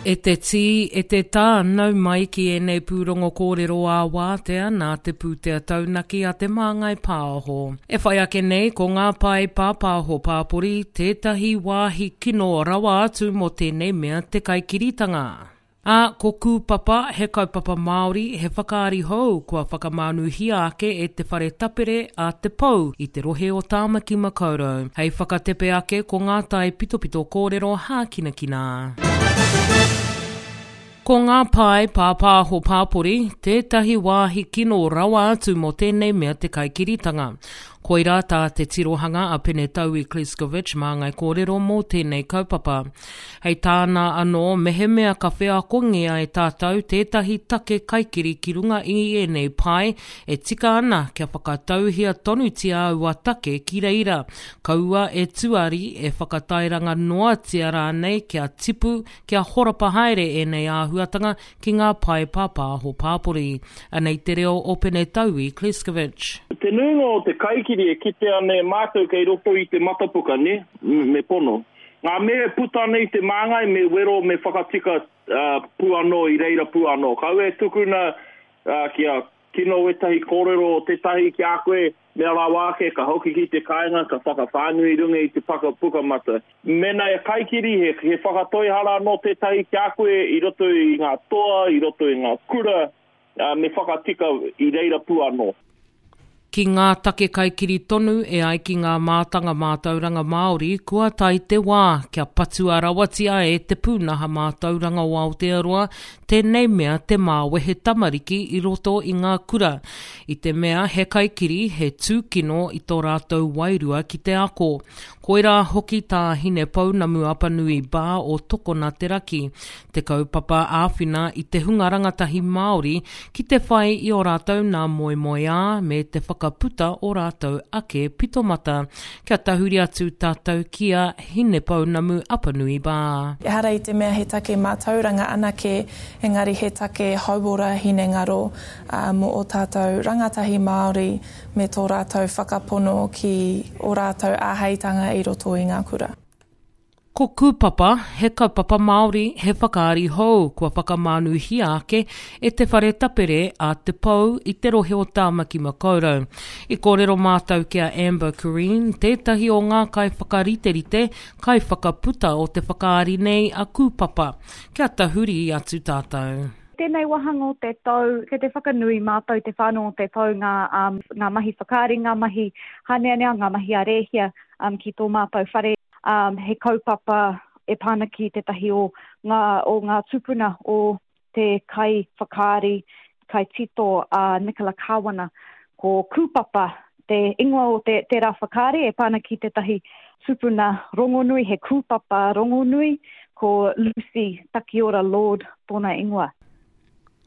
E te tī, e te tā, nau mai ki ēnei pūrongo kōrero ā-wātea nā te pūtea taunaki a Te Māngai Pāho. E whai ake nei ko ngā pae pāpāho pāpori tētahi wāhi kino rawa atu mō tēnei mea te kaikiritanga. Ā, ko Kūpapa, he kaupapa Māori, he whakaari hou kua whakamānuhia ake e te whare tapere a Te Pou i te rohe o Tāmaki Makaurau. Hei whakatepe ake ko ngā tae pitopito kōrero hākinakina. Ko ngā pae pāpāho pāpori tētahi wāhi kino rawa atu mō tēnei mea te kaikiritanga. Koirā tā te tirohanga a Pene Taui Kleskovic māngai kōrero mō tēnei kaupapa. Hei tāna anō, mehemea ka wheakongia e tātou tētahi take kaikiri ki runga i ēnei pae, e tika ana kia whakatauhia tonutia aua take ki reira, kaua e tuari, e whakatairanga noatia rānei kia tipu, kia horapa haere ēnei āhuatanga ki ngā pae pāpāho pāpori. Anei te reo o Pene Taui Kleskovic. Te nuinga o te kaikiri e kitea ana e mātou kei roto i te matapuka, nē? Me pono. Ngā mea e puta ana i te māngai me wero me whakatika pū anō i reira pū anō. Kaua e tukuna kia kino wētahi kōrero o tētahi ki a koe, mea rawa ake ka hoki ki te kāinga ka whakawhānui i runga i te paka pukamata. Mēnā e kaikiri he, he whakatoihara anō tētahi ki a koe i roto i ngā toa, i roto i ngā kura, me whakatika i reira pū anō. Ki ngā take kaikiri tonu e ai ki ngā mātanga mātauranga Māori kua tae te wā kia patua rawatia e te pūnaha mātauranga o Aotearoa tēnei mea te māwehe tamariki i roto i ngā kura i te mea he kaikiri he tūkino i tō rātou wairua ki te ako. Koirā hoki tā Hinepounamu Apanui Barr o Tokona Te Raki te kaupapa āwhina i te hunga rangatahi Māori ki te whai i ō rātou nā moemoeā me te whakaputa ō rātou ake pitomata. Kia tahuri atu tātou ki a Hinepounamu Apanui Barr. Ehara i te mea he take mātauranga anake, engari he take hauora hinengaro mō ō tātou rangatahi Māori me tō rātou whakapono ki ō rātou āheitanga i roto i ngā kura. Ko Kūpapa, he kaupapa Māori, he whakaari hou kua whakamānuhia ake e te whare tapere a Te Pou i te rohe o Tāmaki Makaurau. I kōrero mātou ki a Amber Cureen, tētahi o ngā kaiwhakariterite, kaiwhakaputa o te whakaari nei a Kūpapa. Kia tahuri atu tātou. Tēnei wāhanga o te tau, kei te whakanui mātou te whānau o te tau ngā, ngā mahi whakaari, ngā mahi hāneanea, ngā mahi a Rēhia ki tō mātou whare. He kaupapa e pā ana ki tētahi o ngā, o ngā tūpuna o te kaiwhakaari, kaitito a Nicola Kāwana. Ko Kūpapa te ingoa o te, tērā whakaari e pā ana ki tētahi tupuna rongonui, he kūpapa rongonui, ko Lucy Takiora Lord tōna ingoa.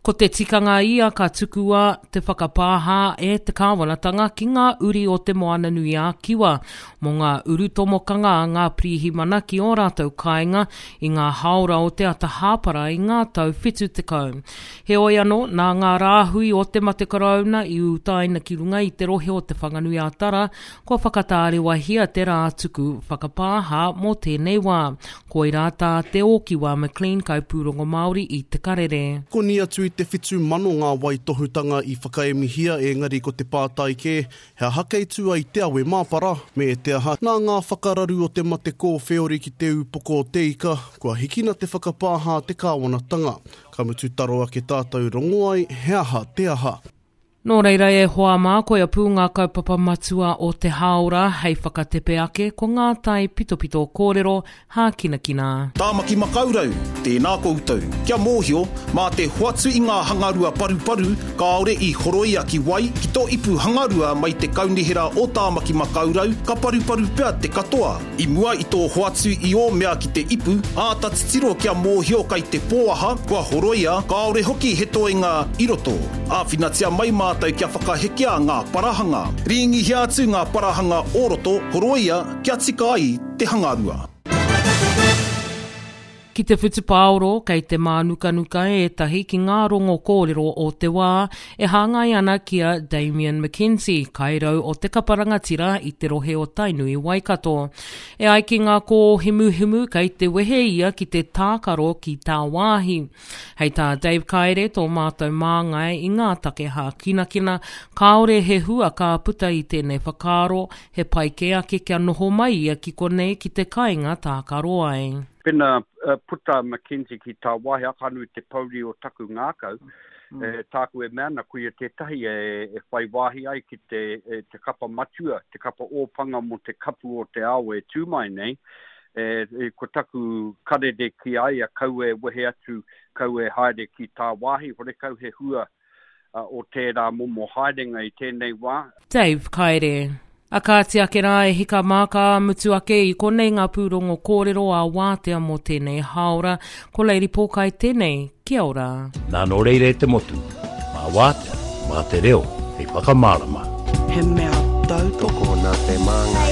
Ko te tikanga ia ka tukua te whakapāha e te kāwanatanga ki ngā uri o Te Moananui-a-Kiwa mō ngā urutomokanga a ngā pirihimana ki ō rātou kāinga i ngā hāora o te ata hāpara i ngā tau 70. Heoi anō, nā ngā rāhui o te mate karauna i utaina ki runga i te rohe o Te Whanganui-a-Tara, kua whakatārewahia te rā tuku whakapāha mō tēnei wā. Koirā tā Te Ōkiwa McLean kaipūrongo Māori i Te Karere. Koni atu i te 7,000 ngā waitohutanga i whakaemihia engari ko te pātai kē, he aha kei tua i te awe māpara? Me te aha, nā ngā whakararu o te mate kōwheori ki te ūpoko o te ika, kua hikina te whakapāha a te kāwanatanga. Ka mutu taro ake tātou rongo ai he aha te aha. Nō reira e hoa mā, koia pū ngā kaupapa matua o te hāora hei whakatepe ake ko ngā tae pitopito kōrero hākinakina. Tāmaki Makaurau, tēnā koutou. Kia mōhio, mā te hoatu i ngā hangarua paruparu kāore i horoia ki wai, ki tō ipu hangarua mai te Kaunihera o Tāmaki Makaurau, ka paruparu pea te katoa. I mua i tō hoatu i ō mea ki te ipu, āta titiro kia mōhio kai te pōaha, kua horoia, kāore hoki he toenga i roto. Āwhinatia mai mātou kia whakahekea ngā parahanga. Rīngihia atu ngā parahanga o roto, horoia kia tika ai te hangarua. Ki te whutupaoro, kei te mānukanuka ētahi ki ngā rongo kōrero o te wā e hāngai ana ki a Damian McKenzie, kairau o te kapa rangatira i te rohe o Tainui Waikato. E ai ki ngā kōhimuhimu kei te wehe ia ki te tākaro ki tāwāhi. Hei tā Dave Kaere, tō mātou māngai i ngā take hākinakina, kāore he hua ka puta i tēnei whakaaro, he pai kē ake kia noho mai ia ki konei ki te kāinga tākaro ai. Pena puta a McKenzie ki tāwāhi, aka anū te pouri o taku ngākau, e, tāku e mea ana, koia tētahi e, e whai wāhi ai ki te, e, te kapa matua, te kapa ōpanga mō te kapu o te ao e tū mai nei, e, e, ko taku karere ki a ia, kaua e wehe atu, kaua e haere ki tāwāhi, horekau he hua o tērā momo haerenga i tēnei wā. Dave Kaere. A kāti ake rā e hika mā ka mutu ake i konei ngā pūrongo kōrero ā wātea mō tēnei hāora. Ko Lady Pōkai tēnei. Kia ora. Nā nō reira e te motu, mā wātea, mā te reo hei whakamārama. He mea tautoko nā te māngai.